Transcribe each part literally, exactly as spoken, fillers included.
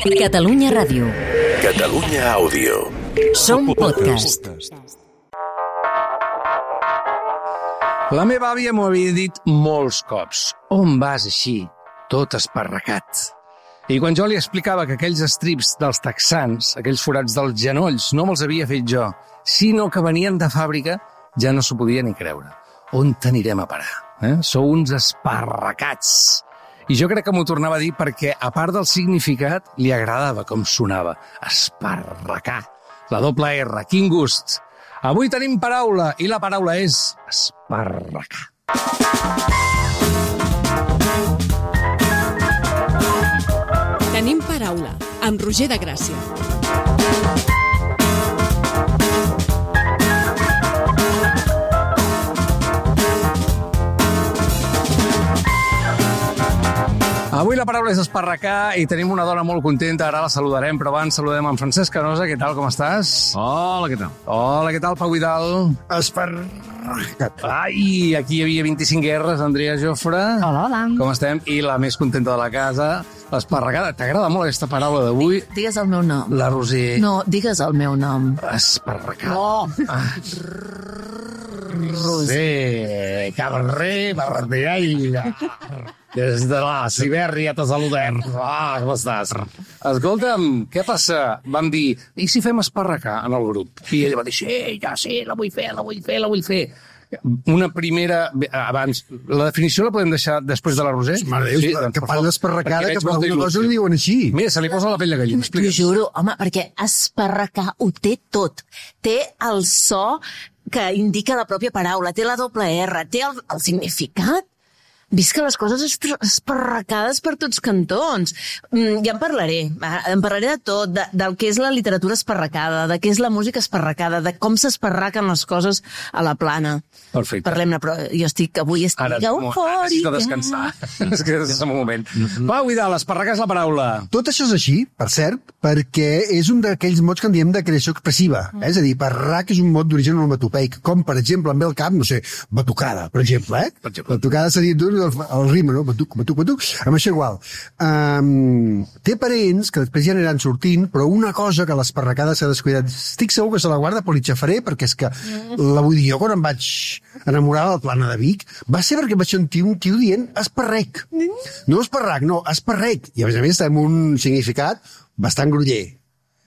Catalunya Ràdio. Catalunya Àudio. Som podcast. La meva àvia m'ho havia dit molts cops. On vas així, tot esparracat? I quan jo li explicava que aquells estrips dels texans, aquells forats dels genolls, no me'ls havia fet jo, sinó que venien de fàbrica, ja no s'ho podia ni creure. On t'anirem a parar? Eh? Sou uns esparracats. I jo crec que m'ho tornava a dir perquè, a part del significat, li agradava com sonava. Esparracar. La doble R. Quin gust. Avui tenim paraula, i la paraula és esparracar. Tenim paraula, amb Roger de Gràcia. Avui la paraula és esparracar i tenim una dona molt contenta, ara la saludarem, però abans saludem en Francesc Canosa. Què tal, com estàs? Hola, què tal? Hola, què tal, Pau Vidal? Esparracat. Ai, aquí hi havia vint-i-cinc guerres, Andrea Jofre. Hola, hola. Com estem? I la més contenta de la casa, l'esparracada. T'agrada molt aquesta paraula d'avui? Digues el meu nom. La Roser. No, digues el meu nom. Esparracar. No. Ah. Roser, cabré, barretealla. Des de la Sibèria te saludem. Ah, com estàs? Escolta'm, què passa? Vam dir, i si fem esparracar en el grup? I ella va dir, sí, ja sí, la vull fer, la vull fer, la vull fer. Una primera... Abans, la definició la podem deixar després de la Roser? Mare de Déu, sí, que parla d'esparracada, que per alguna cosa li diuen així. Mira, se li posa la pell de gallina. T'ho juro, home, perquè esparracar ho té tot. Té el so que indica la pròpia paraula, té la doble R, té el, el significat. Visca les coses esparracades per tots cantons. Mm, ja en parlaré. En parlaré de tot, de, del que és la literatura esparracada, de què és la música esparracada, de com s'esparraquen les coses a la plana. Perfecte. Parlem-ne, però jo estic, avui estic Ara, eufòrica. necessito descansar. És que és un moment. Pau Vidal, esparracar és la paraula. Tot això és així, per cert, perquè és un d'aquells mots que en diem de creació expressiva. Eh? És a dir, parrac és un mot d'origen onomatopeic, com, per exemple, em ve al cap, no sé, batucada, per exemple. Eh? Per exemple. Batucada seria dur el, el rima, no? Batuc, batuc, batuc. Amb això igual. Um, té parents que després ja aniran sortint, però una cosa que l'esparracada s'ha descuidat, estic segur que se la guarda per l'Itxafaré, perquè és que la vull dir jo quan em vaig enamorar de la plana de Vic, va ser perquè vaig sentir un tio dient esparrec. No esparrac, no, esparrec. I a més a més amb un significat bastant groller.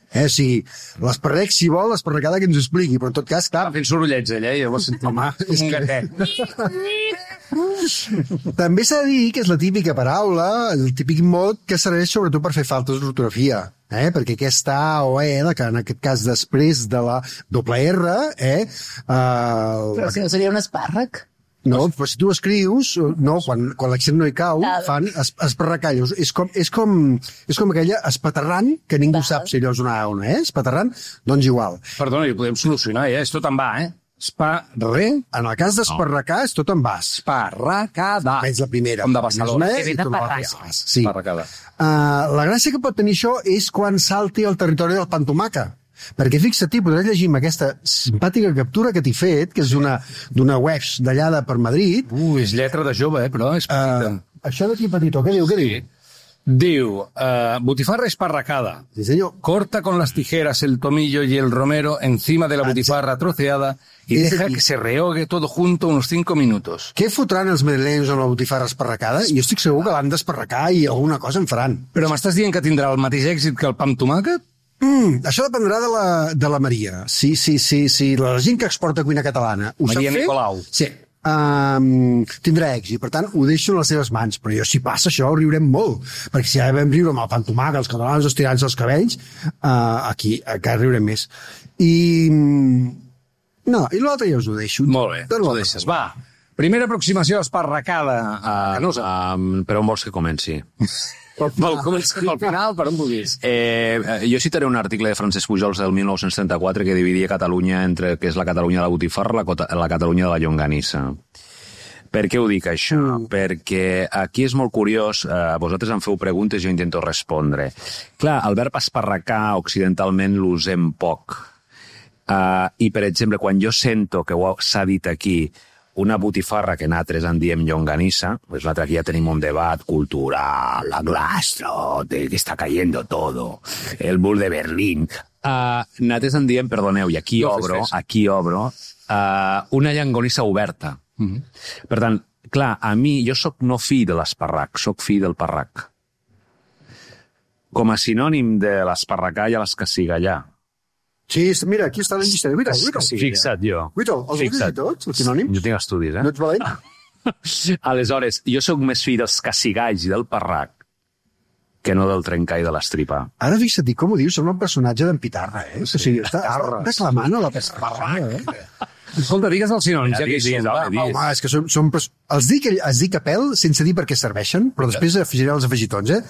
Eh, o sigui, l'esparrec, si vol, l'esparracada que ens ho expliqui, però en tot cas, clar... Estava fent sorollets, ella, i llavors sentim... Home, és un que- gatet. També s'ha de dir que és la típica paraula, el típic mot que serveix sobretot per fer faltes d'ortografia, eh? Perquè aquesta A o E, que en aquest cas després de la doble R, eh? Uh, Però si no seria un espàrrec. no, però si tu escrius, no, quan, quan l'accent no hi cau, Val. fan es, esparracallos. És com, és, com, és com aquella espaterrant, que ningú Val. sap si allò és una A o una E, espaterrant, doncs igual. Perdona, i ho podem solucionar, ja, és tot en va, eh? Esparre... En el cas d'esparracar és tot en bas. Esparracada. És la primera. Com de Barcelona. Més una E Que ve i de tot l'altre Parràs. és bas. Sí. Esparracada. Uh, la gràcia que pot tenir això és quan salti el territori del pantomaca. Perquè fixa't, podràs llegir amb aquesta simpàtica captura que t'he fet, que és d'una web d'allà de per Madrid. Ui, és lletra de jove, eh, però és petita. Uh, això d'aquí petitó, què diu? Què diu? Diu, uh, butifarra esparracada. Sí, senyor. Corta con las tijeras el tomillo y el romero encima de la butifarra troceada y Es deja decir- que se rehogue todo junto unos cinco minutos. Què fotran els madrilenys amb la botifarra esparracada? Jo estic segur que l'han d'esparracar i alguna cosa en faran. Però m'estàs dient que tindrà el mateix èxit que el pa amb tomàquet? Mm, això dependrà de la, de la Maria. Sí, sí, sí, sí. La gent que exporta cuina catalana ho Maria sap fer? Nicolau. Sí. Um, tindrà èxit, per tant ho deixo en les seves mans, però jo si passa això ho riurem molt, perquè si ja vam riure amb el pantomaca, els catalans estirant-se els cabells, uh, aquí encara riurem més. I no, i l'altre ja us ho deixo. Molt bé, Tot ho l'altre. deixes. Va, primera aproximació esparracada a Canosa. Um, per on vols que comenci? Vol començar al final, per on vulguis. Eh, jo citaré un article de Francesc Pujols del mil nou-cents trenta-quatre que dividia Catalunya entre el que és la Catalunya de la botifarra i la, cota- la Catalunya de la llonganissa. Per què ho dic, això? Mm. Perquè aquí és molt curiós, eh, vosaltres em feu preguntes i jo intento respondre. Clar, el verb esparracar occidentalment l'usem poc. Uh, I, per exemple, quan jo sento que s'ha dit aquí una botifarra que nosaltres en diem llonganissa, pues l'altre aquí ja tenim un debat cultural, la glastro, de que està cayendo todo, el mur de Berlín. Uh, nosaltres en diem, perdoneu, i aquí No, obro, fes, fes. aquí obro, uh, una llonganissa oberta. Mhm. Per tant, clar, a mi, jo sóc no fill de l'esparrac, sóc fill del parrac. Com a sinònim de l'esparracà i l'escacigallar. Sí, mira, aquí està la llista. Guita'l, guita'l. Fixa't, jo. Guita'l, els vols dir tots, els sinònims? Jo tinc estudis, eh? No ets valent? Aleshores, jo sóc més fill dels cacigalls i del parrac que no del trencà i de l'estripar. Ara fixa't, i com ho dius, sembla un personatge d'en Pitarra, eh? Sí, o sigui, està, està declamant a la Pitarra, eh? Escolta, digues els sinònims, ja que hi digues, som. home, va. digues. Home, és que són... són pers- els dic, els dic a pèl sense dir per què serveixen, però després afegiré els afegitons, eh?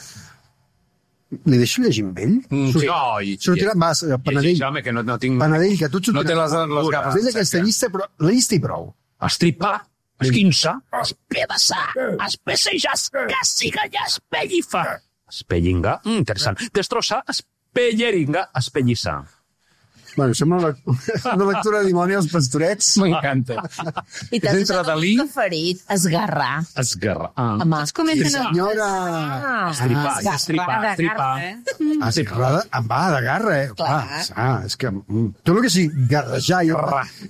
Li deixo llegir amb ell? Mm, Surt- sí. No, i- Sortirà, va, Panadell, Sí, home, que no, no tinc... Panadell, que tu et No té les, sortirà. les gafes. Vés aquesta llista, però la llista i prou. Estripar, esquinçar, espedaçar, espessejar, escacigallar, espellifar. Espellingar, mm, interessant. Destrossar, espelleringar, espellissar. Bueno, sembla una, una lectura de dimoni als pastorets. M'encanta. I És t'has entre usat el Dalí- preferit, esgarrar. Esgarrar. Ah. Home, Es comenten Sí, a... senyora! Ah, Estripar, esgarrar. estripar, estripar. Ah, sí, esgarrada, em va de garra, eh? Clar. Ah, és que... mm, tot el que sigui garrejar i...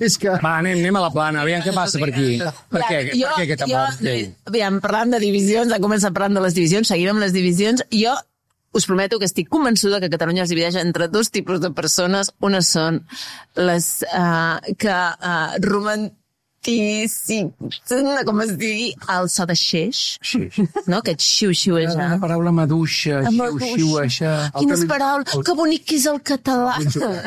És que... Va, anem, anem a la plana, aviam què passa per aquí. Per què, per què aquest amor? Jo, aviam, parlant de divisions, ha començat parlant de les divisions, seguim amb les divisions. Jo us prometo que estic convençuda que Catalunya es divideix entre dos tipus de persones. Unes són les uh, que uh, romantici... com es digui, el so de xeix, no? Aquest xiu-xiuejar. Una paraula maduixa, xiu-xiuejar. Quines paraules, que bonic que és el català.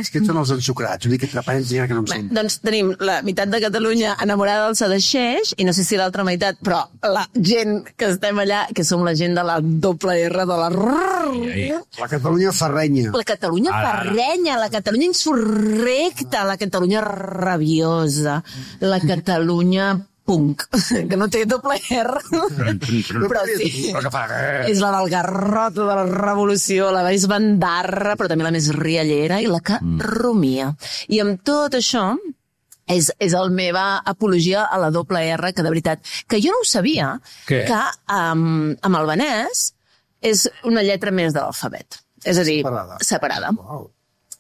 És que són els ensucrats, vull dir que entre parents n'hi ha que no em Bé, sent. doncs tenim la meitat de Catalunya enamorada del so de xeix, i no sé si l'altra meitat, però la gent que estem allà, que som la gent de la doble R, de la rrrr, La Catalunya ferrenya. la Catalunya ferrenya, la Catalunya insurrecta, la Catalunya rabiosa, la Catalunya punk, que no té doble R, però sí. Però que fa... És la del garrot de la revolució, la més bandarra, però també la més riallera i la que rumia. I amb tot això, és, és la meva apologia a la doble R, que de veritat, que jo no ho sabia, Què? que um, amb albanès és una lletra més de l'alfabet. És a dir, Separada. separada. Wow.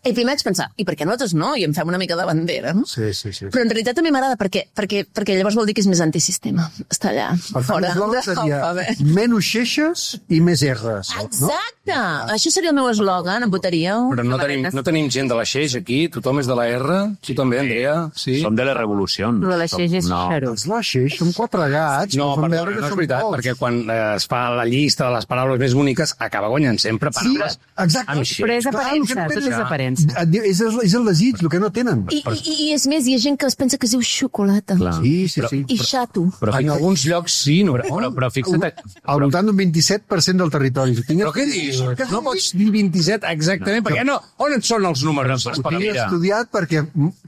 I primer vaig pensar, i per què nosaltres no? I em fem una mica de bandera, no? Sí, sí, sí. Però en realitat també m'agrada perquè, perquè, perquè llavors vol dir que és més antisistema. Està allà, Per tant, fora l'eslògan de seria l'alfabet. menys xeixes i més R's. No? Exacte! Això seria el meu eslògan, em votaríeu? Però no tenim, no tenim gent de la Xeix aquí, tothom és de la R. Tu també, Andrea? Sí? Som de la revolució. Lo de la xeix és No. xarut. Els la xeix són quatre gats. No, que fan perdona, veure que no és són veritat, pocs. perquè quan eh, es fa la llista de les paraules més boniques acaba guanyant sempre Sí, paraules exacte. amb xeix. Però és Clar, aparença, el que tot és pensa- aparença. Et diu- És, el- és el desig, el que no tenen. I, i, I és més, hi ha gent que es pensa que es diu xocolata. Clar. Sí, sí, sí. I xato. Però, En fixa't, alguns llocs sí, no? però, però fixa't... Al voltant d'un vint-i-set per cent del territori. Ho tinc- Però què dius? No pots dir vint-i-set exactament, perquè no, on et són els números? Ho tinc Mira. estudiat perquè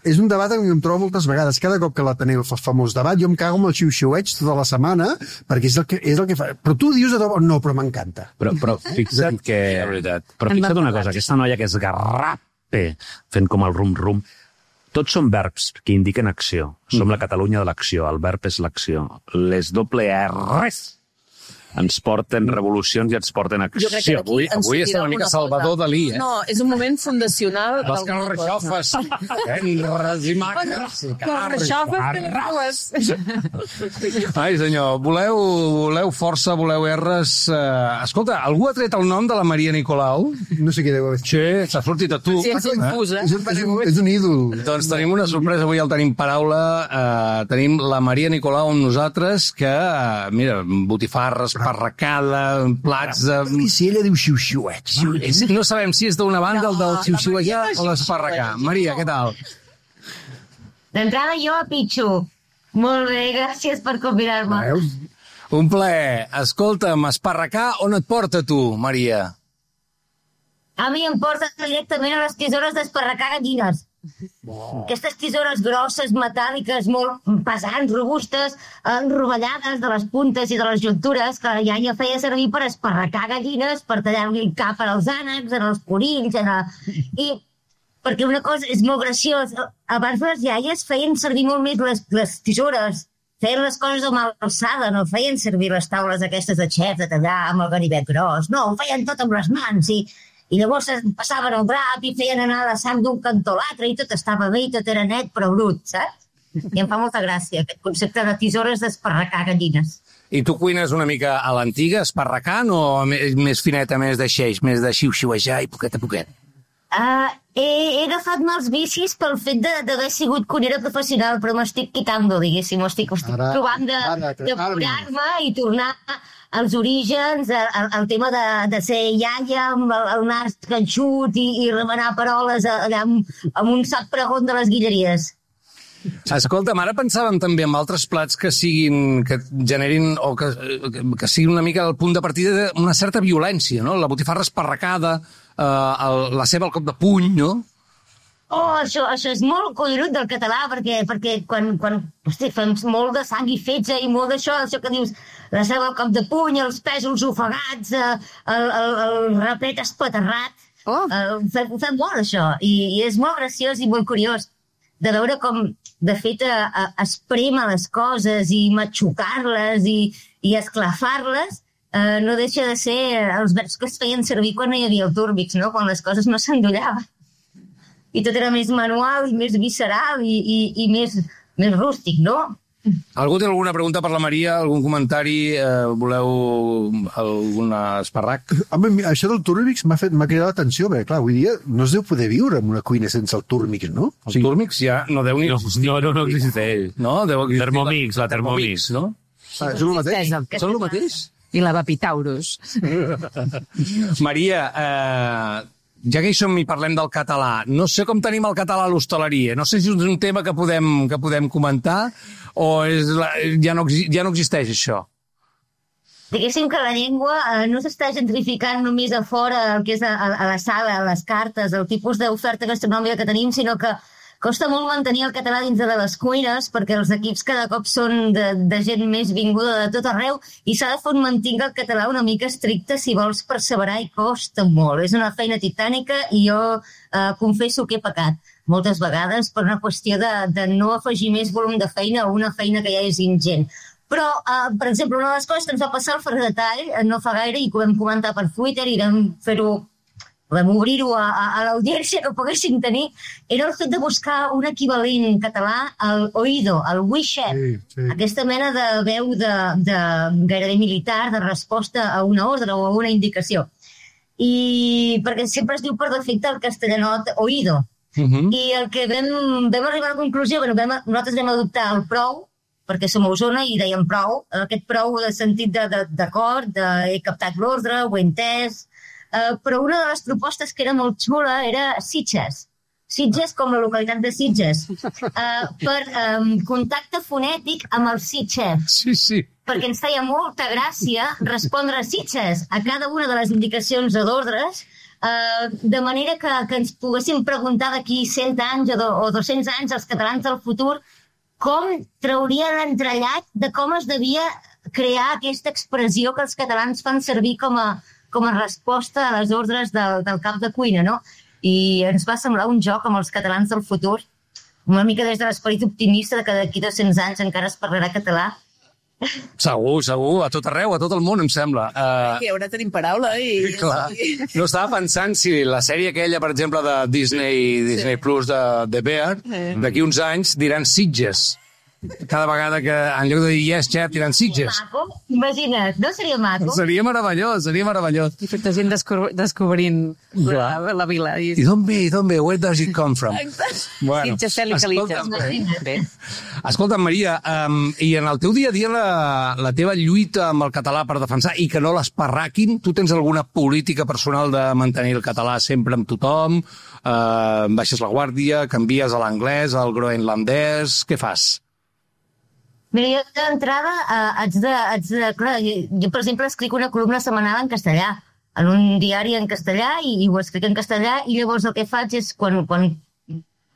és un debat en què em trobo moltes vegades. Cada cop que l'Ateneu fa famós debat, jo em cago amb el xiu-xiueig tota la setmana, perquè és el que, és el que fa. Però tu dius de debò, no, però m'encanta. Però, però fixa't que... De veritat. Però fixa't una cosa, aquesta noia que es garrape fent com el rum-rum, tots són verbs que indiquen acció. Som la Catalunya de l'acció, el verb és l'acció. Les doble R's ens porten revolucions i ens porten acció. Jo crec que d'aquí avui- ens avui és sortirà una mica alguna Salvador cosa. Dalí, eh? No, és un moment fundacional Les d'alguna cosa. carreixofes, enres i macres. Ai, senyor, voleu, voleu força, voleu R's... Uh, escolta, algú ha tret el nom de la Maria Nicolau? No sé què deu haver. Sí, s'ha sortit a tu. Sí, ens infusa. És, un, és, un, és un ídol. Doncs tenim una sorpresa, avui el tenim paraula, eh, tenim la Maria Nicolau amb nosaltres, que, eh, mira, botifarres, parracada, plats de... I si ella diu xiu-xiueig? No sabem si és d'una banda, el del No, xiu-xiuejar la Maria o l'esparracà. Maria, què tal? D'entrada jo a Pitxo. Molt bé, gràcies per convidar-me. Veus? Un plaer. Escolta'm, esparracà, on et porta tu, Maria? A mi em porta directament a les tisores d'esparracar gallines. Aquestes tisores grosses, metàl·liques, molt pesants, robustes, enrovellades de les puntes i de les juntures, que la iaia feia servir per esparracar gallines, per tallar-li el cap als ànecs, en els conills, en el... I perquè una cosa és molt graciós. Abans les iaies feien servir molt més les, les tisores feien les coses amb alçada, no feien servir les taules aquestes de xef de tallar amb el ganivet gros, no, ho feien tot amb les mans i, i llavors passaven el drap i feien anar la sang d'un cantó a l'altre i tot estava bé i tot era net però brut, saps? I em fa molta gràcia aquest concepte de tisores d'esparracar gallines. I tu cuines una mica a l'antiga, esparracant, o més fineta, més de xeix, més de xiu-xiuejar i poquet a poquet? Uh, he, he agafat mals vicis pel fet d'haver sigut cuinera professional, però m'estic quitando, diguéssim, estic, estic ara, provant de, ara, de curar-me i tornar als orígens, al, al tema de, de ser iaia amb el, el nas ganxut i, i remenar paroles allà amb, amb un sac pregón de les guilleries. Escolta'm, ara pensàvem també en altres plats que siguin, que generin, o que, que siguin una mica el punt de partida d'una certa violència, no? La botifarra esparracada, eh, el, la ceba al cop de puny, no? Oh, això, això és molt collonut del català, perquè, perquè quan, quan hosti, fem molt de sang i fetge i molt d'això, això que dius, la ceba al cop de puny, els pèsols ofegats, el, el, el rapet espaterrat, oh. eh, fem, fem molt això, i, i és molt graciós i molt curiós de veure com, de fet, a, a, esprema les coses i matxucar-les i, i esclafar-les, eh, no deixa de ser els verbs que es feien servir quan no hi havia el túrbix, no? Quan les coses no s'endollaven. I tot era més manual i més visceral i, i, i més, més rústic, no? Algú té alguna pregunta per la Maria? Algun comentari? Eh, voleu algun esparrac? Home, això del túrmix m'ha fet m'ha cridat l'atenció, perquè clar, avui dia no es deu poder viure en una cuina sense el túrmix, no? El sí. túrmix ja no deu ni... No, no, no existeix. No? Deu existir Thermomix, la Thermomix, no? Ah, és el mateix? Són el mateix? I la Vapitaurus. Maria, eh, ja que hi som i parlem del català, no sé com tenim el català a l'hostaleria. No sé si és un tema que podem, que podem comentar o és la, ja, no, ja no existeix això. Diguéssim que la llengua eh, no s'està gentrificant només a fora, el que és a, a la sala, a les cartes, el tipus d'oferta gastronòmica que tenim, sinó que costa molt mantenir el català dins de les cuines perquè els equips cada cop són de, de gent més vinguda de tot arreu i s'ha de fer mantenir el català una mica estricte si vols perseverar i costa molt. És una feina titànica i jo eh, confesso que he pecat moltes vegades per una qüestió de, de no afegir més volum de feina a una feina que ja és ingent. Però, eh, per exemple, una de les coses que ens va passar al Ferrer de Tall no fa gaire i que ho vam comentar per Twitter i vam fer-ho vam obrir-ho a, a, a l'audiència que poguessin tenir, era el fet de buscar un equivalent català al oído, al WeChat, sí, sí. Aquesta mena de veu de, de gairebé militar, de resposta a una ordre o a una indicació. I perquè sempre es diu per defecte el castellanot oído. Uh-huh. I el que vam, vam arribar a la conclusió, bueno, vam, nosaltres vam adoptar el prou, perquè som a Osona i dèiem prou, aquest prou de sentit d'acord, de, de, de, he captat l'ordre, ho he entès. Uh, però una de les propostes que era molt xula era Sitges. Sitges com la localitat de Sitges. Uh, per um, contacte fonètic amb el Sitges. Sí, sí. Perquè ens feia molta gràcia respondre a Sitges a cada una de les indicacions o d'ordres, uh, de manera que, que ens poguéssim preguntar d'aquí cent anys o, do, o dos-cents anys als catalans del futur com traurien l'entrellat de com es devia crear aquesta expressió que els catalans fan servir com a com a resposta a les ordres del, del cap de cuina, no? I ens va semblar un joc amb els catalans del futur, una mica des de l'esperit optimista de que d'aquí dos-cents anys encara es parlarà català. Segur, segur, a tot arreu, a tot el món, em sembla. Uh... I ara tenim paraula i... Clar. No estava pensant si la sèrie aquella, per exemple, de Disney, Disney sí. Plus de, de Bear, sí. D'aquí uns anys diran Sitges. Cada vegada que, en lloc de dir yes, chef, diran Sitges. Maco, imagina't, no seria maco? Seria meravellós, seria meravellós. I tota gent descobr descobrint la, la vila. I, I d'on ve, i d'on ve? Where does it come from? Bueno, Sitges, Cel i Calitges. Escolta, Maria, um, i en el teu dia a dia la, la teva lluita amb el català per defensar i que no l'esparraquin, tu tens alguna política personal de mantenir el català sempre amb tothom? Uh, baixes la guàrdia, canvies a l'anglès, al groenlandès, què fas? Mira, jo d'entrada eh, haig de... Haig de clar, jo, jo, per exemple, escric una columna setmanal en castellà, en un diari en castellà, i, i ho escric en castellà, i llavors el que faig és, quan, quan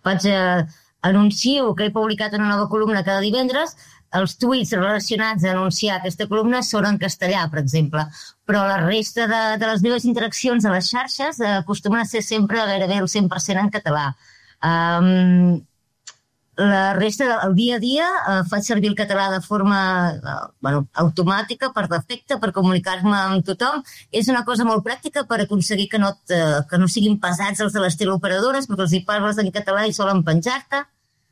faig eh, anuncio que he publicat una nova columna cada divendres, els tuits relacionats a anunciar aquesta columna són en castellà, per exemple. Però la resta de, de les meves interaccions a les xarxes eh, acostumen a ser sempre gairebé el cent per cent en català. Um, la resta del dia a dia eh, faig servir el català de forma eh, bueno, automàtica, per defecte, per comunicar-me amb tothom. És una cosa molt pràctica per aconseguir que no, te, que no siguin pesats els de les teleoperadores, perquè els hi parles en català i solen penjar-te.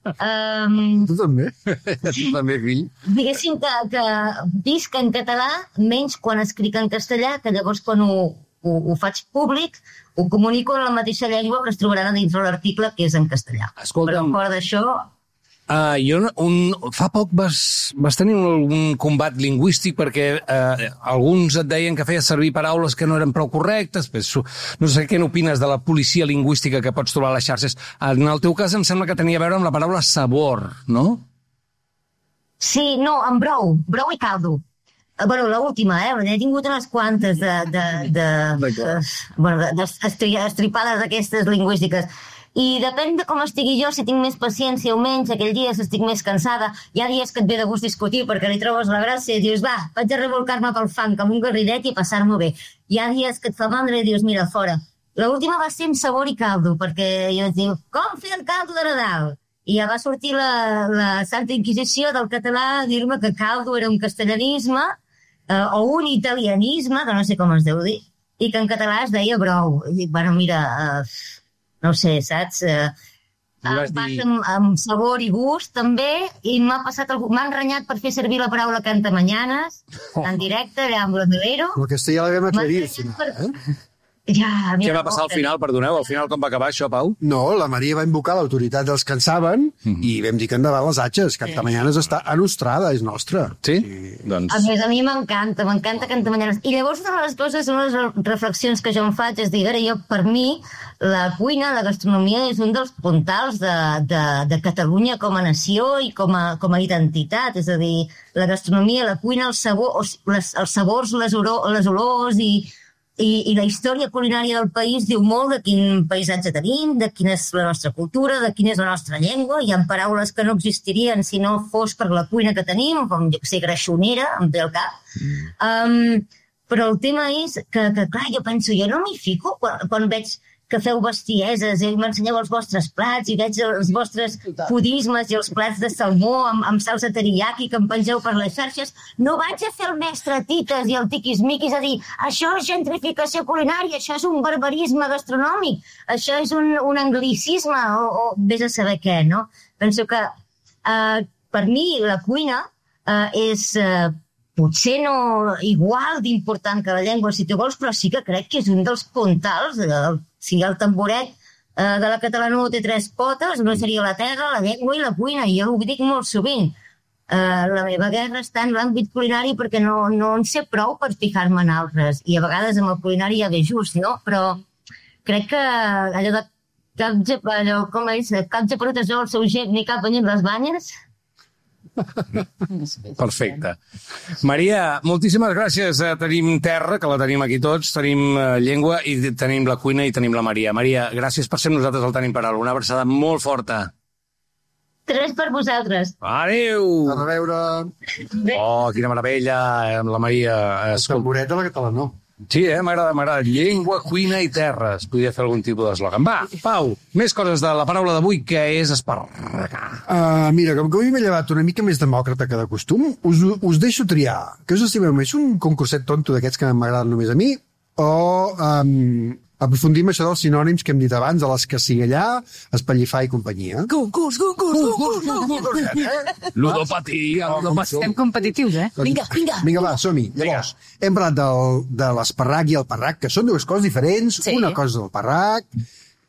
Um, tu també? Tu també, fill? Diguéssim que, que visc en català, menys quan escric en castellà, que llavors quan ho, ho, ho faig públic, ho comunico en la mateixa llengua que es trobaran a dins de l'article, que és en castellà. Escolta'm, però fora d'això... Uh, jo un, fa poc vas, vas tenir un, un combat lingüístic perquè uh, alguns et deien que feies servir paraules que no eren prou correctes. Pues, no sé què n'opines de la policia lingüística que pots trobar a les xarxes. En el teu cas em sembla que tenia a veure amb la paraula sabor, no? Sí, no, amb brou, brou i caldo. Uh, bueno, l'última, eh? He tingut unes quantes de, de, de, de, bueno, de, de estri, estripades aquestes lingüístiques. I depèn de com estigui jo, si tinc més paciència o menys, aquell dia si estic més cansada. Hi ha dies que et ve de gust discutir perquè li trobes la gràcia i dius, va, vaig a revolcar-me pel fang amb un garridet i passar-m'ho bé. Hi ha dies que et fa mandra i dius, mira, fora. L'última va ser amb sabor i caldo, perquè jo et diu, com fer el caldo de Nadal? I ja va sortir la, la Santa Inquisició del català a dir-me que caldo era un castellanisme eh, o un italianisme, que no sé com es deu dir, i que en català es deia brou. I dic, bueno, mira... Eh, no sé, saps? Eh, em passa amb, amb sabor i gust, també, i m'ha passat algú... M'ha enrenyat per fer servir la paraula cantamanyanes, en directe, allà amb l'Amelero. Però aquesta ja l'havíem aclarit, al final, eh? Ja, mira, Què va passar al final, perdoneu? Al final com va acabar això, Pau? No, la Maria va invocar l'autoritat dels que en saben mm. i vam dir que endavant les atxes. Cantamanyanes està anostrada, és nostra. Sí? sí. Doncs... A més, a mi m'encanta, m'encanta Cantamanyanes. I llavors una de les coses, una de les reflexions que jo em faig és dir, ara jo, per mi, la cuina, la gastronomia és un dels puntals de, de, de Catalunya com a nació i com a, com a identitat. És a dir, la gastronomia, la cuina, el sabor, les, els sabors, les, oro, les olors i... I, i la història culinària del país diu molt de quin paisatge tenim, de quina és la nostra cultura, de quina és la nostra llengua. Hi ha paraules que no existirien si no fos per la cuina que tenim, com jo que sé, greixonera, em ve al cap. Um, però el tema és que, que, clar, jo penso, jo no m'hi fico quan, quan veig que feu bestieses i m'ensenyeu els vostres plats i veig els vostres pudismes i els plats de salmó amb, amb salsa teriyaki que em pengeu per les xarxes. No vaig a fer el mestre Tites i el tiquismiquis a dir això és gentrificació culinària, això és un barbarisme gastronòmic, això és un, un anglicisme o, o vés a saber què, no? Penso que eh, per mi la cuina eh, és... Eh, potser no igual d'important que la llengua, si tu vols, però sí que crec que és un dels puntals. El, si el tamboret eh, de la catalana té tres potes, no seria la terra, la llengua i la cuina, i jo ho dic molt sovint. Eh, la meva guerra està en l'àmbit culinari perquè no, no en sé prou per fijar-me en altres, i a vegades amb el culinari ja ve just, no? Però crec que allò de cap, allò, com és, cap geperut es veu el seu gep ni cap banyet les banyes. Perfecte. Maria, moltíssimes gràcies. Tenim terra, que la tenim aquí tots, tenim llengua i tenim la cuina i tenim la Maria. Maria, gràcies per ser nosaltres al Tenim Paraula. Una abraçada molt forta. Tres per vosaltres. Adéu! A reveure... Oh, quina meravella, la Maria. El tamboret de la catalana. Sí, eh? M'agrada, m'agrada. Llengua, cuina i terra. Es podria fer algun tipus d'eslògan. Va, Pau, més coses de la paraula d'avui, que és esparragar. Uh, mira, com que avui m'he llevat una mica més demòcrata que de costum, us, us deixo triar. Què us estimeu més? Un concurset tonto d'aquests que m'agraden només a mi? O um, aprofundim això dels sinònims que hem dit abans, de les que sigui allà, espallifar i companyia? Concurs, concurs, concurs, concurs. Ludopatia, ludopatia. Estem competitius, eh? Vinga, vinga. Vinga, va, som-hi. Llavors, hem parlat del, de l'esparrac i el parrac, que són dues coses diferents. Sí. Una cosa és el parrac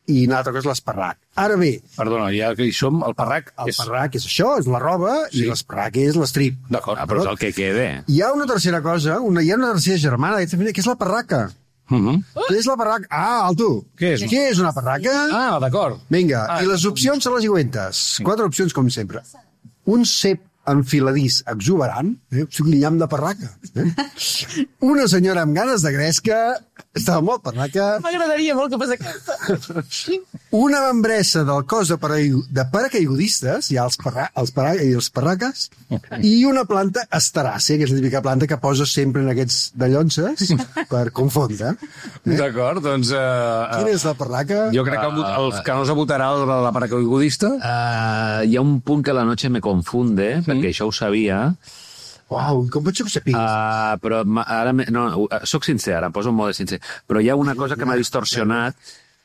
i una altra cosa és l'esparrac. Ara bé, Perdona, ja que hi som, el parrac el és... parrac és això, és la roba, Sí. i l'esparrac és l'estrip. D'acord, Ah, però és el que queda. Hi ha una tercera cosa, una, hi ha una tercera germana d'aquesta família, que és la parraca. Uh -huh. Què és la parraca? Ah, alto. Què és? Què és una parraca? Ah, d'acord. Vinga, Ah, i les opcions són les següents. Quatre opcions, com sempre. Un cep enfiladís exuberant, eh? O sigui, l'inyam de parraca. Eh? Una senyora amb ganes de gresca, Estava molt parraca. M'agradaria molt que fos aquesta. Una membressa del cos de, paracaigudistes, de paracaigudistes, hi ha els, parra, els parra i els parraques, i una planta esteràcia, que és la típica planta que posa sempre en aquests de llonces per confondre. Eh? D'acord, doncs... Uh, Quina és la parraca? Jo crec que el, el que no s'abotarà el de la paracaigudista... Uh, hi ha un punt que la noche me confunde, mm. perquè això ho sabia. Uau, com pots ser que ho sapiguis? Uh, però ma- ara... Me, no, uh, soc sincer, ara em poso en mode sincer. Però hi ha una cosa que m'ha distorsionat.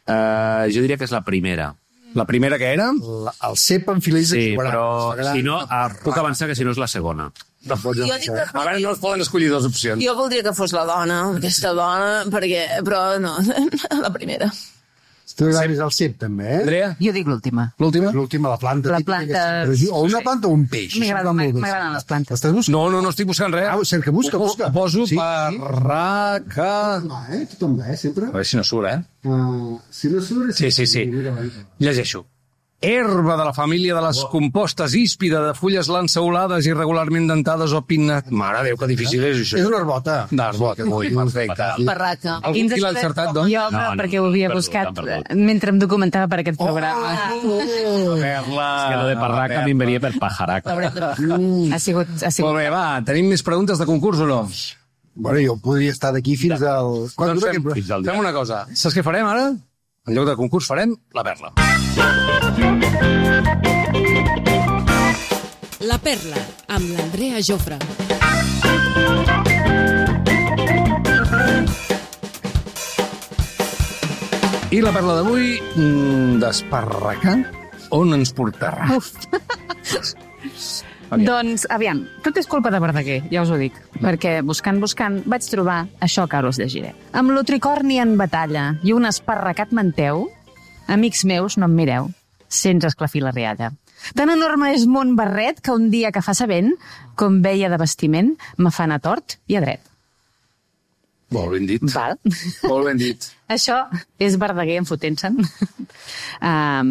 Uh, jo diria que és la primera. La primera que era? La, el cep en filets Sí, de però si no, uh, puc avançar que si no és la segona. No pots Jo dic que... A veure, no es poden escollir dues opcions. Jo voldria que fos la dona, aquesta dona, perquè... Però no, la primera. Tu agrades el cep, també, eh? Andrea? Jo dic l'última. L'última? L'última, la planta. La típica planta- que és- O una planta o un peix. M'agrada- Això va molt bé. m'agraden les plantes. Estàs buscant? No, no, no estic buscant res. Ah, cerca, busca, Ho- busca. ho Poso Sí, parraca... No, eh? Tu també, eh? Sempre. A veure si no surt, eh? Uh, si no surt... Sí, sí, sí. Llegeixo. Herba de la família de les compostes híspida de fulles lanceolades irregularment dentades o pinnat. Mare de Déu, que difícil és això. És una herbota. D'arbot, ui, perfecte. Barraca. Algú Quins qui l'ha experts- encertat, doncs? Jo, No, no, perquè ho havia perdó, buscat perdó. mentre em documentava per aquest programa. Perla. És que lo de parraca a mi em venia per pajaraca. Ha sigut... Ha sigut... Molt bé, va, tenim més preguntes de concurs o no? Bueno, jo podria estar d'aquí fins al... Quan Doncs dura fem, aquest... Fins al dia. fem una cosa. Saps què farem ara? En lloc de concurs farem la perla. La Perla, amb l'Andrea Jofre. I la perla d'avui, mm, d'esparracar, on ens portarà? Aviam. Doncs, aviam, tot és culpa de Verdaguer, ja us ho dic. Perquè buscant, buscant, vaig trobar això que ara us llegiré. Amb l'otricorni en batalla i un esparracat manteu, amics meus, no em mireu, sense esclafir la rialla. Tan enorme és mon barret que un dia que fa sabent, com veia de vestiment, me fa anar tort i a dret. Molt ben dit. Val? Molt ben dit. Això és Verdaguer enfotent-se'n. um,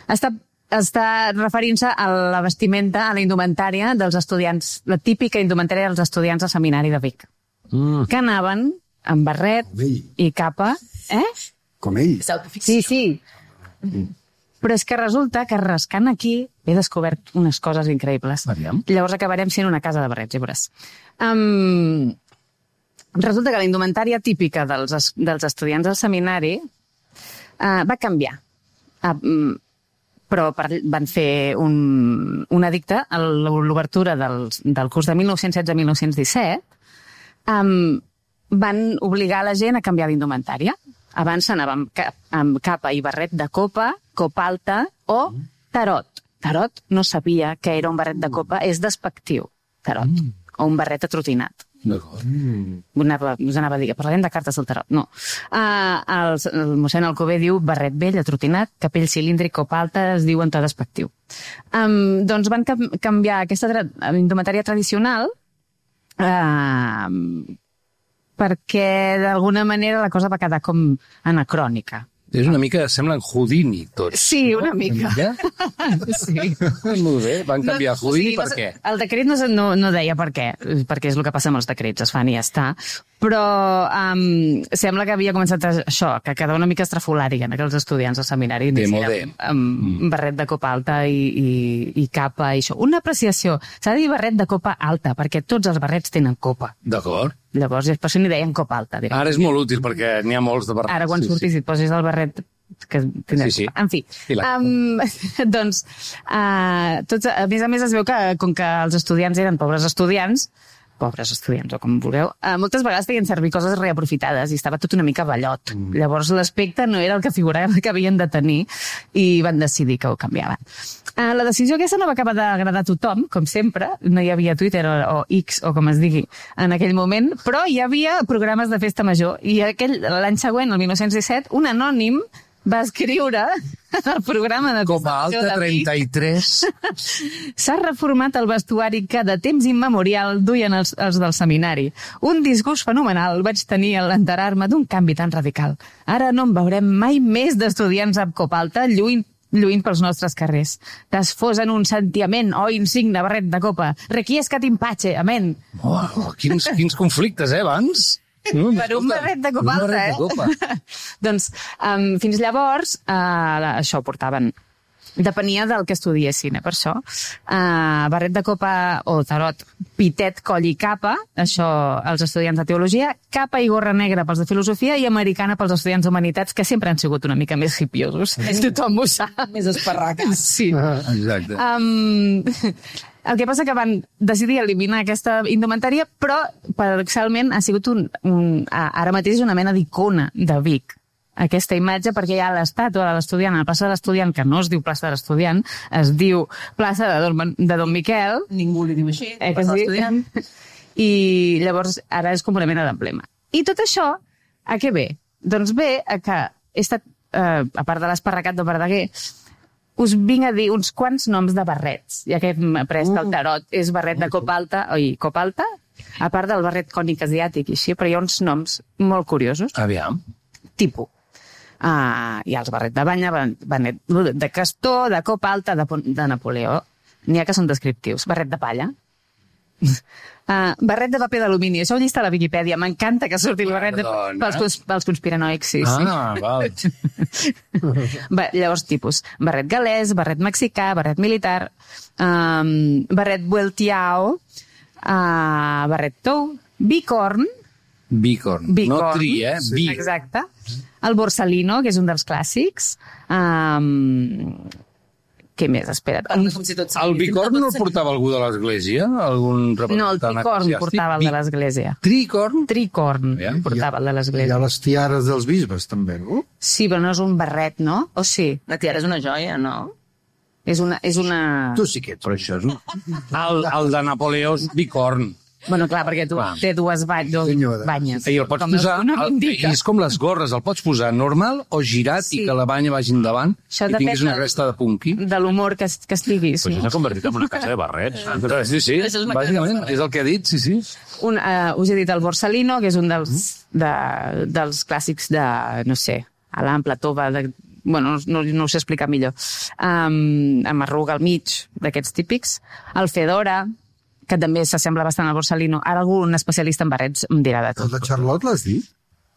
està, està referint-se a la vestimenta, a la indumentària dels estudiants, la típica indumentària dels estudiants de seminari de Vic, Mm. que anaven amb barret Com ell. i capa. Eh? Com ell. Sí, sí. Però és que resulta que rascant aquí he descobert unes coses increïbles. Aviam. Llavors acabarem sent una casa de barrets, ja veuràs. Um, resulta que la indumentària típica dels, es- dels estudiants del seminari uh, va canviar. Uh, um, però per, van fer un, un edicte a l'obertura del, del curs de mil nou-cents setze a mil nou-cents disset. Um, van obligar la gent a canviar d'indumentària. Abans s'anava amb, cap, amb capa i barret de copa, copa alta o tarot. Tarot no sabia que era un barret de copa, és despectiu, tarot. Mm. O un barret atrotinat. D'acord. Us anava, us anava a dir que parlarem de cartes del tarot. No. Uh, el, el mossèn Alcover diu barret vell, atrotinat, capell cilíndric, copa alta, es diu en to despectiu. Um, doncs van cam canviar aquesta tra indumentària tradicional uh, perquè d'alguna manera la cosa va quedar com anacrònica. És una mica, semblen Houdini, tots. Sí, una mica. Ja? Sí. Molt bé, van canviar No, o Houdini sigui, per no, què? El decret no, no, no deia per què, perquè és el que passa amb els decrets, es fan i ja està. Però um, sembla que havia començat a, això, que quedava una mica estrafolària en aquells estudiants del seminari. De anessin modé. Amb, amb mm. barret de copa alta i, i, i capa i això. Una apreciació. S'ha de dir barret de copa alta, perquè tots els barrets tenen copa. D'acord. Llavors, per això n'hi deien copa alta. Directe. Ara és molt útil perquè n'hi ha molts de barrets. Ara, quan Sí, surtis i et posis el barret que tindràs... Sí, sí. En fi, I la- um, doncs, uh, tots, a més a més es veu que, com que els estudiants eren pobres estudiants, pobres estudiants, o com vulgueu, uh, moltes vegades feien servir coses reaprofitades i estava tot una mica ballot. Mm. Llavors l'aspecte no era el que figurava que havien de tenir i van decidir que ho canviaven. Uh, la decisió aquesta no va acabar d'agradar a tothom, com sempre, no hi havia Twitter o, o X o com es digui en aquell moment, però hi havia programes de festa major i aquell l'any següent, el mil nou-cents disset, un anònim va escriure el programa de Copa alta, de Vic. trenta-tres. S'ha reformat el vestuari que de temps immemorial duien els, els del seminari. Un disgust fenomenal vaig tenir a l'enterar-me d'un canvi tan radical. Ara no en veurem mai més d'estudiants amb copa alta lluint lluint pels nostres carrers. Desfosen un sentiment o oh, insigne barret de copa. Requiescat impache, amén. Oh, quins, quins conflictes, eh, abans? Mm, Per un barret de copa un alta, barret eh? de copa. Doncs um, fins llavors uh, això portaven. Depenia del que estudiessin, eh, per això. Uh, barret de copa o tarot, pitet, coll i capa, això els estudiants de teologia, capa i gorra negra pels de filosofia i americana pels estudiants d'humanitats, que sempre han sigut una mica més hipiosos. Tothom ho sap. Més esparracats. Sí. Exacte. Um, el que passa que van decidir eliminar aquesta indumentària, però paradoxalment ha sigut un, un, ara mateix una mena d'icona de Vic. Aquesta imatge, perquè hi ha l'estàtua de l'estudiant, a la plaça de l'estudiant, que no es diu plaça de l'estudiant, es diu plaça de Don, de Don Miquel. Ningú li diu així. Eh, que sí? I llavors ara és com una mena d'emblema. I tot això, a què ve? Doncs ve a que he estat, eh, a part de l'esparracat de Verdaguer, us vinc a dir uns quants noms de barrets, ja que hem après del tarot. És barret de copa alta, oi, copa alta, a part del barret cònic asiàtic i així, però hi ha uns noms molt curiosos. Aviam. Tipus. Uh, hi ha els barret de banya, barret de castor, de copa alta, de, de Napoleó. N'hi ha que són descriptius. Barret de palla. Uh, barret de paper d'alumini. Això ho llista a la Viquipèdia. M'encanta que surti el barret de, pels, cons, pels conspiranoics. Sí, ah, sí. val. Va, llavors, tipus. Barret galès, barret mexicà, barret militar, um, barret vueltiao, uh, barret tou, bicorn. Bicorn. Bicorn. No tri, eh? Sí. Bicorn. Exacte. El borsalino, que és un dels clàssics. Um, què més? Espera't. Si tot el bicorn no el portava algú de l'església? Algun no, el tricorn portava el de l'església. Tricorn? Tricorn ja, portava el de Hi l'església. ha les tiares dels bisbes, també, no? Sí, però no és un barret, no? O sí? La tiara és una joia, no? És una... És una... Tu sí que ets. Però això és un... El, el de Napoleó és bicorn. Bueno, clar, perquè tu Clar. té dues ba dos Senyora. banyes. I el pots com posar... no El, m'indica. és com les gorres, el pots posar normal o girat Sí. i que la banya vagi endavant Això i depèn tinguis una del- resta de punqui. De l'humor que, que estiguis. Pues no? això s'ha convertit en una casa de barrets. Sí, sí, Això és una bàsicament, casa. és el que he dit, sí, sí. Un, uh, us he dit el borsalino, que és un dels, de, dels clàssics de, no sé, Alain, Platova, de, bueno, no, no ho sé explicar millor. Um, amb arruga al mig, d'aquests típics. El fedora, que també s'assembla bastant al borsalino. Ara algun especialista en barrets em dirà de El tot. de Charlotte l'has dit?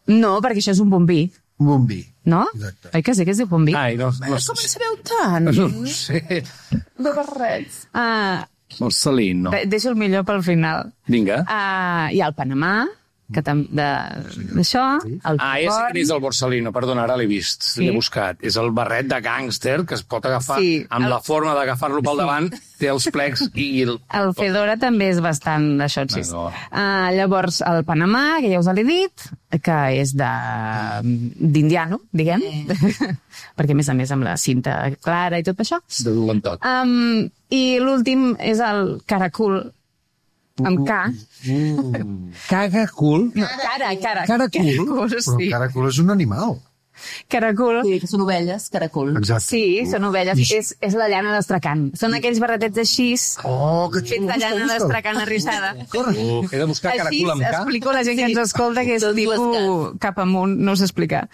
No, perquè això és un bombí, Un bombí. no? Exacte. Oi que sí que es diu bombí? Ai, no, no, Com en sabeu tant? no sé. De barrets. Uh, El Salín, no. de, deixo el millor pel final. Vinga. Uh, hi ha el Panamà, que tam, de- d'això, el Ah, és, tricorn. és el Borsalino, perdona, ara l'he vist, Sí. l'he buscat. És el barret de gàngster que es pot agafar Sí, amb el- la forma d'agafar-lo pel davant, té els plecs i el... El fedora també és bastant d'això, sí. D'acord. Uh, llavors, el Panamà, que ja us l'he dit, que és de d'indiano, diguem, perquè a més a més amb la cinta clara i tot això. de dolentot. Um, I l'últim és el caracul, amb K. Caga cul. No, cara, cara. Caracul? Caracul, Però sí. el caracol és un animal. Caracul. Sí, que són ovelles, caracol. Exacte. Sí, són ovelles. És, és la llana d'astracan. Són aquells barretets així, Oh, que fets de llana d'astracan arrissada. Uh, he de buscar Així caracul amb K. explico a la gent que ens escolta que és Tot dues tipus cap amunt, no sé explicar.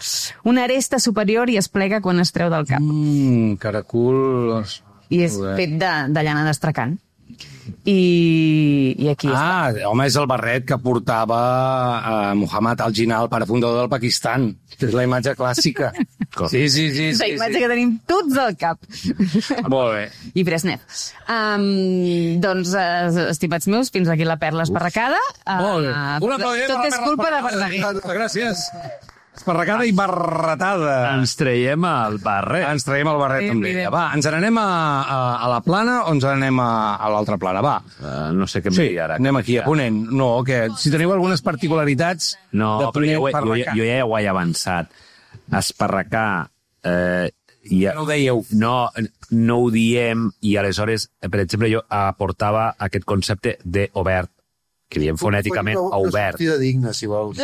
Una aresta superior i es plega quan es treu del cap. Mm, caracul... I és Joder. fet de, de llana d'astracan. I, i aquí està. Ah, home, és el barret que portava eh, Muhammad al-Jinnah, el pare fundador del Pakistan. És la imatge clàssica. Sí, sí, sí. És la sí, imatge sí. que tenim tots al cap. Molt bé. I Brezhnev. Um, doncs, uh, estimats meus, fins aquí la perla esparracada. Uh, Molt bé. Un aplaudiment tot per la és Perla culpa de Esparracada. Verdaguer. Gràcies. Esparracada i barretada. Ens traiem el barret. Ens traiem el barret Sí, també. evident. Va, ens n'anem a, a, a la plana o ens n'anem a, a l'altra plana? Va. Uh, no sé què em Sí, diria ara. anem aquí a Ponent. No, que si teniu algunes particularitats No, de però jo, ho he- jo, Esparracà. jo ja ho he avançat. Esparracar... Eh, ja, No ho dèieu. No, no ho diem, i aleshores, eh, per exemple, jo aportava aquest concepte d'obert, que diem fonèticament Una- a una obert. sortida digna, si vols.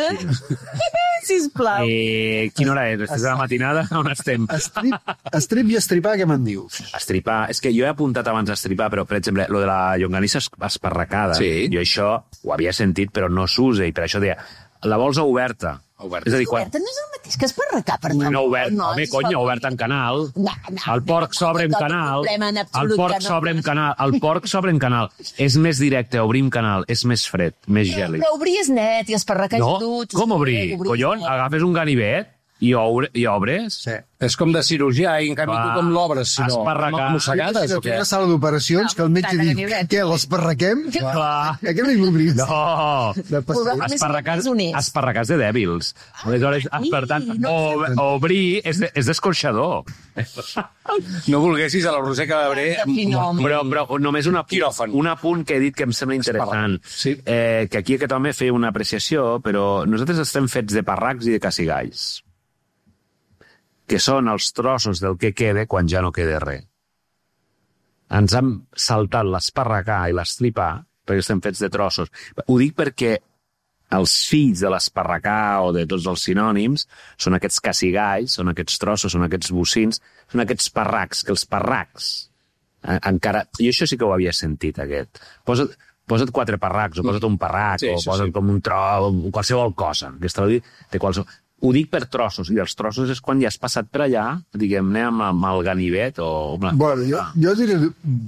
Sisplau. Eh, quina hora és? Estàs a la matinada? On estem? Estrip, estrip i estripar, què me'n dius? Estripar. És que jo he apuntat abans estripar, però, per exemple, lo de la llonganissa es- esparracada, Sí. jo això ho havia sentit, però no s'usa, i per això deia, la vols oberta, Obert. És a dir, quan... Obert no és el mateix que esparracar, perdó. No obert, No, home, és conya, obert. obert en canal. No, no, El porc no, s'obre en no, no, canal. problema en El absolut porc que no. s'obre en canal. El porc s'obre en canal. És més directe, obrir en canal. És més fred, més gèlid. Però obrir és net i esparracar No? és brut. Com obrir? Collons, agafes un ganivet i, obre, i obres? Sí. És com de cirurgià, i en canvi Va, tu com l'obres, si no? esparracar. Mossegades o Una què? sala d'operacions que el metge Tant de diu, ganivet. què, l'esparraquem? Clar. Aquest és l'obrir. No! De passeig. Més Esparracars, honest. esparracars de dèbils. Aleshores, per tant, ob, obrir és, de, és d'escorxador. No volguessis a la Roser Cabré... Però, però només una, Quiròfan. un apunt que he dit que em sembla interessant. Sí. Eh, que aquí aquest home feia una apreciació, però nosaltres estem fets de parracs i de cacigalls, que són els trossos del que queda quan ja no queda res. Ens han saltat l'esparracà i l'estripar perquè estem fets de trossos. Ho dic perquè els fills de l'esparracà o de tots els sinònims són aquests cacigalls, són aquests trossos, són aquests bocins, són aquests parracs, que els parracs eh, encara... Jo això sí que ho havia sentit, aquest. Posa't, posa't quatre parracs, o posa't un parrac, Sí, o això posa't sí. com un tro, qualsevol cosa. Aquesta vol dir de qualsevol... Ho dic per trossos, i els trossos és quan ja has passat per allà, diguem-ne, amb, amb el ganivet o... Bueno, jo, jo diré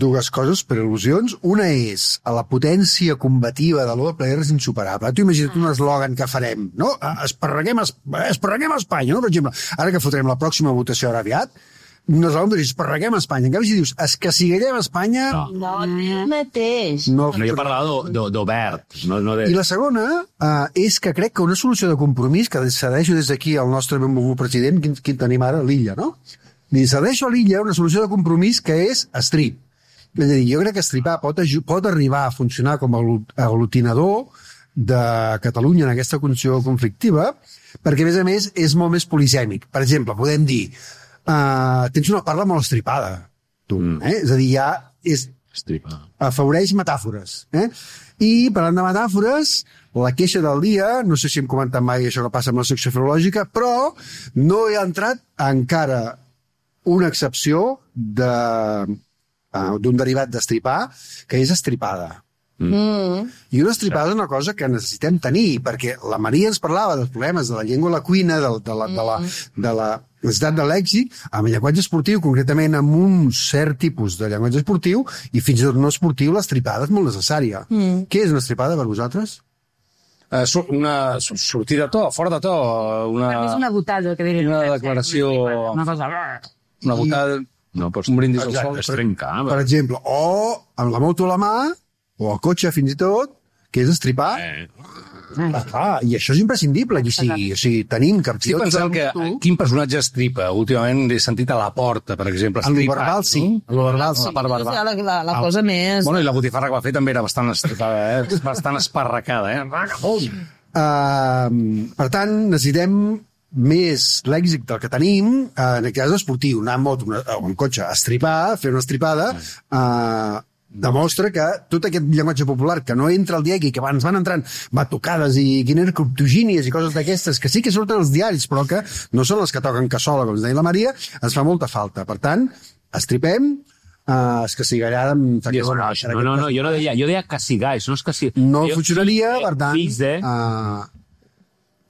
dues coses per al·lusions. Una és, a la potència combativa de l'O Player és insuperable. Tu imagina't un eslògan que farem, no? Esparreguem, esparreguem a Espanya, no? Per exemple, ara que fotrem la pròxima votació ara aviat, un eslògan que dius, esparreguem a Espanya. En canvi, si dius, escaciguem a Espanya... No. No, el mateix. No, No, jo parlava d'o- d'obert, no, no de... I la segona uh, és que crec que una solució de compromís, que cedeixo des d'aquí al nostre benvolgut president, quin, quin tenim ara, l'Illa, no? Li cedeixo a l'Illa una solució de compromís que és strip. És a dir, jo crec que stripar pot, pot arribar a funcionar com a aglutinador de Catalunya en aquesta condició conflictiva, perquè, a més a més, és molt més polisèmic. Per exemple, podem dir, uh, tens una parla molt estripada, tu, mm. eh? És a dir, ja és, Estripa. afavoreix metàfores. Eh? I, parlant de metàfores, la queixa del dia, no sé si hem comentat mai això que passa amb la secció filològica, però no he entrat encara una excepció de, uh, d'un derivat d'estripar, que és estripada. Mm. I una estripada és una cosa que necessitem tenir, perquè la Maria ens parlava dels problemes de la llengua a la cuina, de, de la, de la, de la necessitat de lèxic, amb el llenguatge esportiu, concretament amb un cert tipus de llenguatge esportiu, i fins i tot no esportiu, l'estripada és molt necessària. Mm. Què és una estripada per vosaltres? Uh, una sortida de to, fora de to, una, Per mi és una botada, que diria. una declaració, Una cosa... una botada, No, pots... un brindis al Exacte. sol. Es trencar. Per exemple, o amb la moto a la mà, o el cotxe fins i tot, que és estripar. Eh. Ah, clar, i això és imprescindible, aquí sigui. O sigui, tenim Estic campions... pensant que tu, quin personatge estripa. Últimament he sentit a la porta, per exemple. en lo estripat, verbal, sí. no? En lo verbal, sí. La part verbal. La, la, la cosa més... Bueno, i la botifarra que va fer també era bastant estripada, eh? Bastant esparracada, eh? Vagabund! Uh, per tant, necessitem més lèxic del que tenim, uh, en aquest cas esportiu, anar en moto una, o en cotxe, a estripar, fer una estripada, uh, demostra que tot aquest llenguatge popular que no entra al diari, que abans van entrant batucades i criptogínies i coses d'aquestes, que sí que surten als diaris, però que no són les que toquen cassola, com ens deia la Maria, ens fa molta falta. Per tant, estripem, uh, es castigarà amb... No, no, no, no, jo no deia, jo deia cacigalls, no és cacigalls. No Jo- funcionaria, eh, per tant... Fills de... Uh,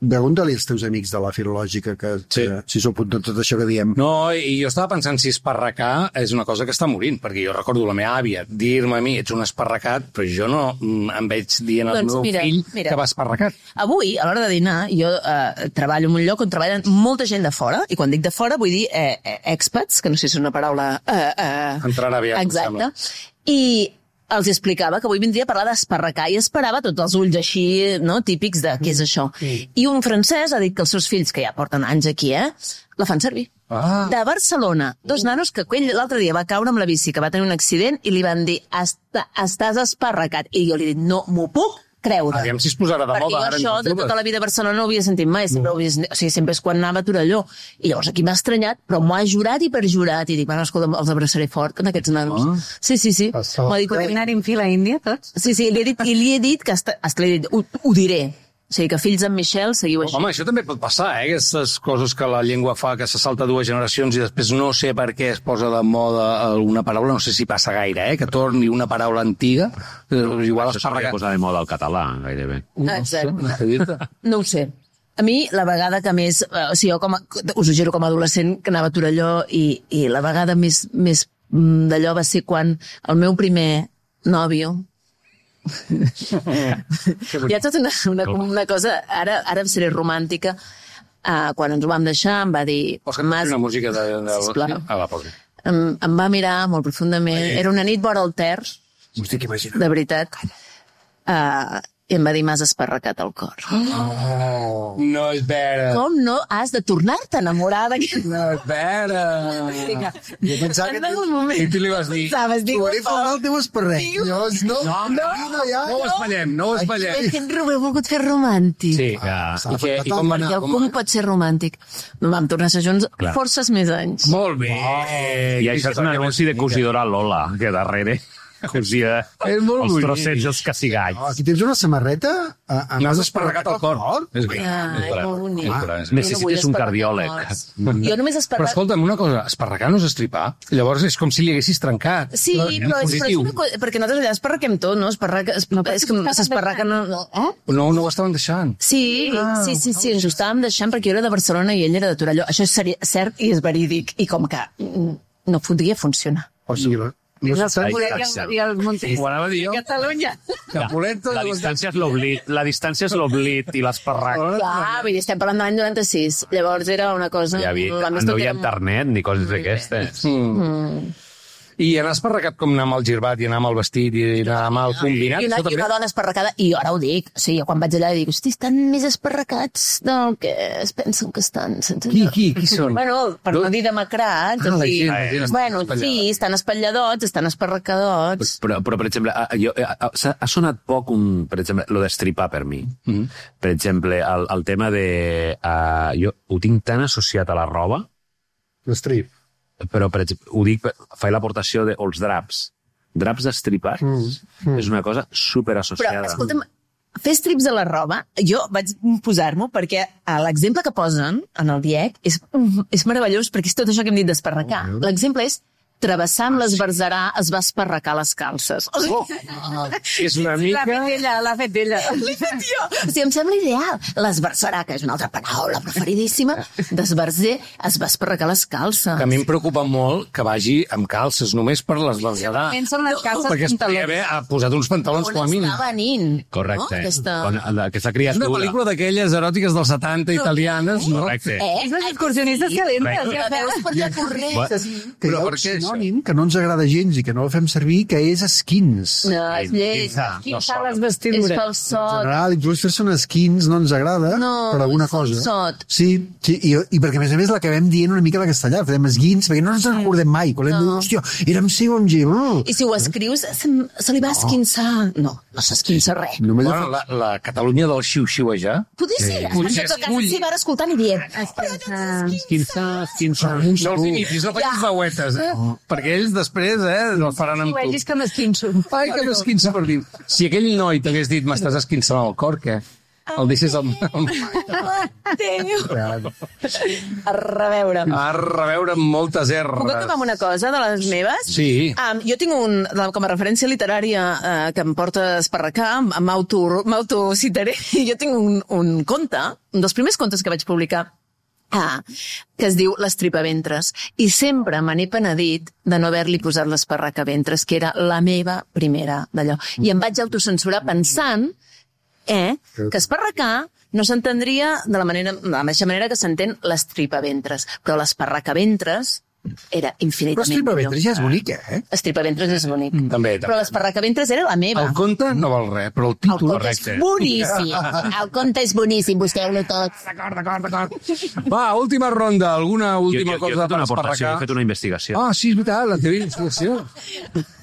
pregunta-li als teus amics de la filològica que, Sí. que si s'apunten tot això que diem. No, i jo estava pensant si esparracar és una cosa que està morint, perquè jo recordo la meva àvia dir-me a mi, ets un esparracat, però jo no mm, em veig dient al Doncs meu mira, fill mira. que va esparracat. Avui, a l'hora de dinar, jo eh, treballo en un lloc on treballen molta gent de fora, i quan dic de fora vull dir eh, eh, expats, que no sé si és una paraula... Eh, eh, Entrarà aviat, em exacte. sembla. I els explicava que avui vindria a parlar d'esparracar i esperava tots els ulls així, no?, típics de què és això. I un francès ha dit que els seus fills, que ja porten anys aquí, eh, la fan servir. Ah. De Barcelona, dos nanos que aquell l'altre dia va caure amb la bici, que va tenir un accident, i li van dir, Està, estàs esparracat. I jo li he dit, no m'ho puc creure. Aviam si es posarà de Perquè moda jo ara. això entre de tota totes. la vida a Barcelona no ho havia sentit mai, sempre, ho havia, o sigui, sempre és quan anava a Torelló. I llavors aquí m'ha estranyat, però m'ho ha jurat i perjurat. I dic, bueno, escolta, els abraçaré fort, en aquests nanos. Ah. Sí, sí, sí. Això. M'ha dit, Podem anar en fila a Índia, tots? sí, sí, li he dit, i li he dit que està, hasta li he dit, ho, ho diré. O sigui, que fills d'en Michel seguiu així. Home, això també pot passar, eh? Aquestes coses que la llengua fa, que se salta dues generacions i després no sé per què es posa de moda alguna paraula, no sé si passa gaire, eh? Que torni una paraula antiga, eh, igual Això s'hauria de esparracat. posar de moda el català, gairebé. Exacte. No sé dir-te. No ho sé. A mi, la vegada que més... eh, O sigui, jo com a, us ho juro, com a adolescent, que anava a Torelló, i, i la vegada més, més mm, d'allò va ser quan el meu primer nòvio... Hi ha tota una, una, una cosa, ara, ara em seré romàntica, uh, quan ens ho vam deixar em va dir... Vols que et posi una música de... de... Sisplau. Ah, va, posi. Em, em va mirar molt profundament. Era una nit vora el Ter, M'estic imaginant. de veritat. Uh, I em va dir, m'has esparracat el cor. Oh, no és vera. Com no has de tornar-te a enamorar d'aquest... No és vera. Jo pensava que... En algun moment... I tu li vas dir... Saps, dic, Trobaré faltar el teu esparrec. Diu- No, no, no, no, ja. No ho espallem, no ho espallem. És que ho he volgut fer romàntic. Sí, Ja. I, què, i com va anar? Perquè algú pot ser romàntic. No vam tornar a ser junts Clar. forces més anys. Molt bé. I això és un anunci de cosidora Lola, que darrere cosia És molt els bonic. trossets dels cassigats. Oh, aquí tens una samarreta. A, a... N'has esparracat el cor. És bé. Ah, és molt bonic. Necessites un cardiòleg. Jo només Però esparrac... escolta'm, una cosa, esparracar no és estripar. Llavors és com si li haguessis trencat. Sí, però és, però és positiu. una cosa... Perquè nosaltres allà esparraquem tot, no? Esparraca, es, no és que s'esparraca... No, no, eh? No, no ho estaven deixant. Sí, sí, sí, sí, ens ho estàvem deixant perquè jo era de Barcelona i ell era de Torelló. Això és seri- cert i és verídic. I com que mm, no podria funcionar. O sigui, la... I el Ai, Capulet exacte. i el Montes. Ho anava a dir jo. Catalunya. Capuleto. La distància és l'oblit, la distància és l'oblit i l'esparrac. Clar, vull dir, estem parlant de l'any noranta-sis. Llavors era una cosa... Hi havia, a més, no tot hi ha era- internet ni coses d'aquestes. I anar esparracat com anar amb el girbat i anar amb el vestit i anar amb el combinat. I una, això I una també... dona esparracada, i jo ara ho dic, o sigui, quan vaig allà dic, hosti, estan més esparracats del que es pensen que estan. Sense... Qui, qui, qui són? Bueno, per no dir demacrats, Ah, o la sigui, gent, la gent està bueno, espatllada. sí, estan espatlladors, estan esparracadots. Però, però per exemple, a- jo, a- a- s'ha- ha sonat poc, un, per exemple, lo d'estripar per mi. Mm. Per exemple, el, el tema de... Uh, jo ho tinc tan associat a la roba, L'estrip. però per exemple, ho dic, per- faig l'aportació de els draps. Draps estripats mm. Mm. és una cosa super Però, associada. escolta'm, fer strips a la roba, jo vaig posar-m'ho perquè a l'exemple que posen en el DIEC és, és meravellós perquè és tot això que hem dit d'esparracar. L'exemple és travessar amb l'esbarzarà es va esparracar les calces. O sigui, Ah, és una L'ha mica... fet ella, l'ha fet ella. l'he fet jo. O sigui, em sembla ideal. L'esbarzarà, que és una altra paraula preferidíssima, d'esbarzer es va esparracar les calces. Que a mi em preocupa molt que vagi amb calces, només per l'esbarzerar. Almenys són les calces Perquè es podria pantalons. haver ha posat uns pantalons com a On mínim. està venint? Correcte. No? Aquesta... Quan, aquesta És criatura... una pel·lícula d'aquelles eròtiques dels setanta italianes, no? Correcte. Eh? És les excursionistes calentes. La Ja veus per allà corrent. Bueno, Que hi Però ha per un què això? sinònim que no ens agrada gens i que no el fem servir, que és skins. No, és lleig. Quin sal les És vestidures. En falsot. general, inclús fer-se un skins no ens agrada No, per alguna és cosa. falsot. Sí, sí i, i perquè a més a més l'acabem dient una mica a la castellà, fem esguins, perquè no ens en recordem mai. Quan hem dit, hòstia, érem segon G. Oh. I si ho escrius, se, se li va esquinçar. No, no s'esquinça res. Només Bueno, la, la Catalunya del xiu-xiuejar. Podria ser. Potser Potser escull. sí, va escoltant i dient. Quinze, quinze... No els imitis, no facis veuetes, eh? Perquè ells després, eh, no faran amb Si ho tu. vegis que m'esquinço. Ai, que m'esquinça per dir. Si aquell noi t'hagués dit m'estàs esquinçant el cor, què? El deixes al... Déu. A reveure. A reveure amb moltes Puc acabar erres. amb una cosa de les meves? Sí. Um, jo tinc un, com a referència literària uh, que em porta a esparracar, m'auto- m'autocitaré. Jo tinc un, un conte, un dels primers contes que vaig publicar, ah, que es diu L'estripaventres. I sempre me n'he penedit de no haver-li posat l'esparracaventres, que era la meva primera d'allò. I em vaig autocensurar pensant eh, que esparracar no s'entendria de la, manera, de la mateixa manera que s'entén l'estripaventres, però l'esparracaventres era Però infinitament estripaventres ja és bonic, eh? Estripaventres és bonic. També, també. Però l'esparracaventres era la meva. El conte no val res, però el El títol... conte és boníssim. El conte és boníssim, busqueu-lo tot. D'acord, d'acord, d'acord. Va, última ronda. Alguna Jo, última jo, jo he cosa fet per una aportació, esparracar? he fet una investigació. Ah, sí, és veritat, la teva investigació.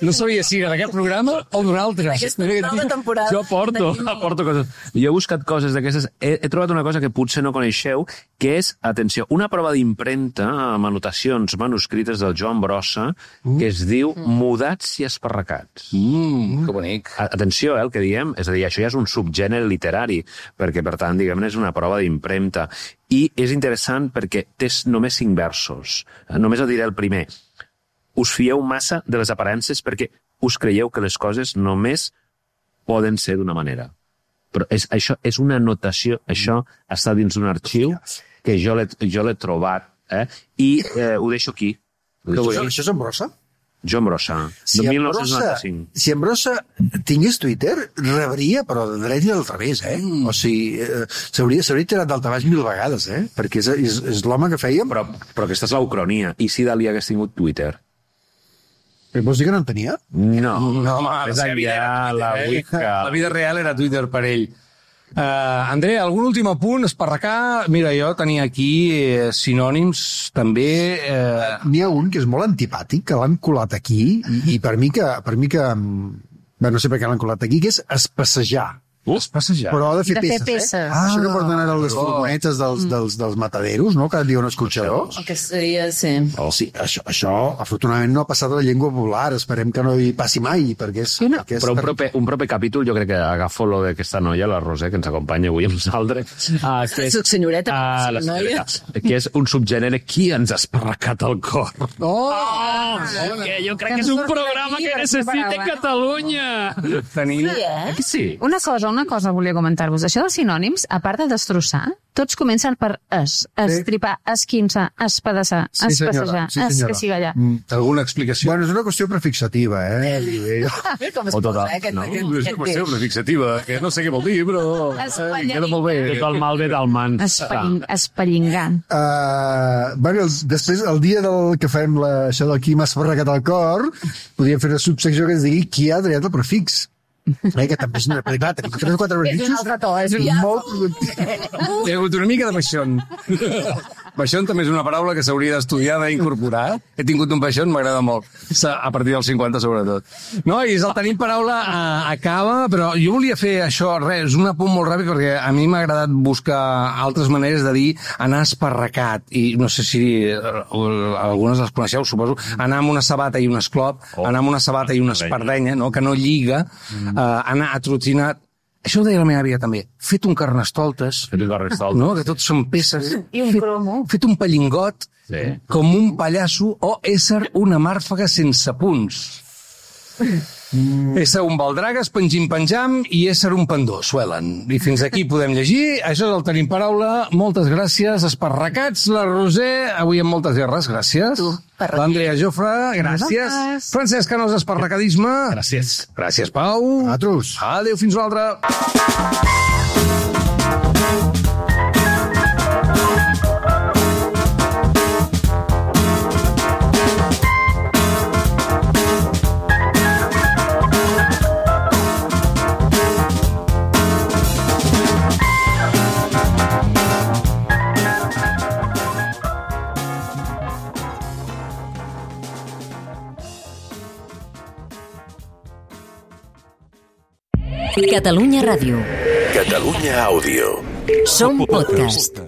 No sabia si era d'aquest programa o d'un altre. Aquesta nova temporada. Jo aporto, aporto coses. Jo he buscat coses d'aquestes. He, he trobat una cosa que potser no coneixeu, que és, atenció, una prova d'impremta amb anotacions manuscrites del Joan Brossa, que es diu Mudats i esparracats. Mm, que bonic. A- Atenció, eh, el que diem, és a dir, això ja és un subgènere literari, perquè, per tant, diguem-ne, és una prova d'impremta. I és interessant perquè té només cinc versos. Eh, Només el diré el primer. Us fieu massa de les aparences perquè us creieu que les coses només poden ser d'una manera. Però és, això és una anotació, això està dins d'un arxiu que jo l'he jo l'he trobat, eh? I eh, ho deixo aquí. Ho deixo Això, aquí. això és en brossa? Joan Brossa, Si de en mil Brossa, nou-cents noranta-cinc. si en Brossa tingués Twitter, rebria, però de dret i del revés, eh? Mm. O sigui, eh, s'hauria s'hauria tirat d'altabaix mil vegades, eh? Perquè és, és, és l'home que fèiem. Però, però aquesta és la ucronia. I si Dalí hagués tingut Twitter? Però vols dir que no en tenia? No. No, home, És la seva vida enllà, era la Twitter, eh? Wicca. La vida real era Twitter per ell. Uh, André, algun últim apunt, esparracar? Mira, jo tenia aquí eh, sinònims, també... Eh... N'hi ha un que és molt antipàtic, que l'han colat aquí, i, i per mi que... Per mi que bé, no sé per què l'han colat aquí, que és espassejar. Uh, es passejar. Però ha de fer De fer peces, peces. eh? Ah, això que porten ara les oh. furgonetes dels, dels, dels mataderos, no?, que diuen escorxadors. El que seria, sí. Oh, sí, això, això afortunadament no ha passat a la llengua popular, esperem que no hi passi mai, perquè és... no. Perquè és Però un per- proper, un proper capítol jo crec que agafo lo d'aquesta noia, la Roser, que ens acompanya avui amb nosaltres. Uh, que és, Soc senyoreta, ah, soc la noia. senyoreta, que és un subgènere qui ens ha esparracat el cor. Oh! Oh, que jo crec que és un programa que necessita Catalunya. Tenim... Sí, eh? Eh que sí? Una cosa, una cosa volia comentar-vos. Això dels sinònims, a part de destrossar, tots comencen per es, estripar, esquinçar, espedaçar, Sí, senyora, espassejar, sí, senyora. escacigallar. Mm. Alguna explicació? Bueno, és una qüestió prefixativa, eh? Com es O total, posa, eh, aquest, no? aquest, És una aquest qüestió prefixativa, que no sé què vol dir, però... Eh, queda molt bé. Tot el mal ve del mans. Espalling, espallingar. Uh, bueno, els, després, el dia del que fem la, això del qui m'ha esparracat el cor, podríem fer una subsecció que es digui qui ha triat el prefix. Eh, que també és una... Perquè, clar, tenim tres o quatre És un prefixos altre to, és un... molt productius. Hi ha hagut una mica de baixón. Baixón també és una paraula que s'hauria d'estudiar, d'incorporar. He tingut un baixón, m'agrada molt. A partir dels cinquanta, sobretot. No, i el tenim paraula a, acaba, però jo volia fer això, res, un apunt molt ràpid, perquè a mi m'ha agradat buscar altres maneres de dir anar esparracat. I no sé si eh, algunes les coneixeu, suposo. Anar amb una sabata i un esclop, Oh. anar amb una sabata i una espardenya, no? Que no lliga, mm. eh, anar atrotinat. Això ho deia la meva àvia també. Fet un carnestoltes, Fet un carnestoltes. no? Que tots són peces. I un cromo. Fet un pallingot, Sí. com un pallasso, o ésser una màrfaga sense punts. Mm. Ésser un baldragues, pengim-penjam, i ésser un pendó, suelen. I fins aquí podem llegir. Això és el Tenim Paraula. Moltes gràcies, esparracats. La Roser, avui amb moltes guerres, gràcies. Tu, parraquer. L'Andrea Jofre, gràcies. Nosaltres. Francesc Canós, esparracadisme. Gràcies. Gràcies, Pau. Nosaltres. Adéu, fins una altra. Catalunya Ràdio. Catalunya Àudio. Som podcast.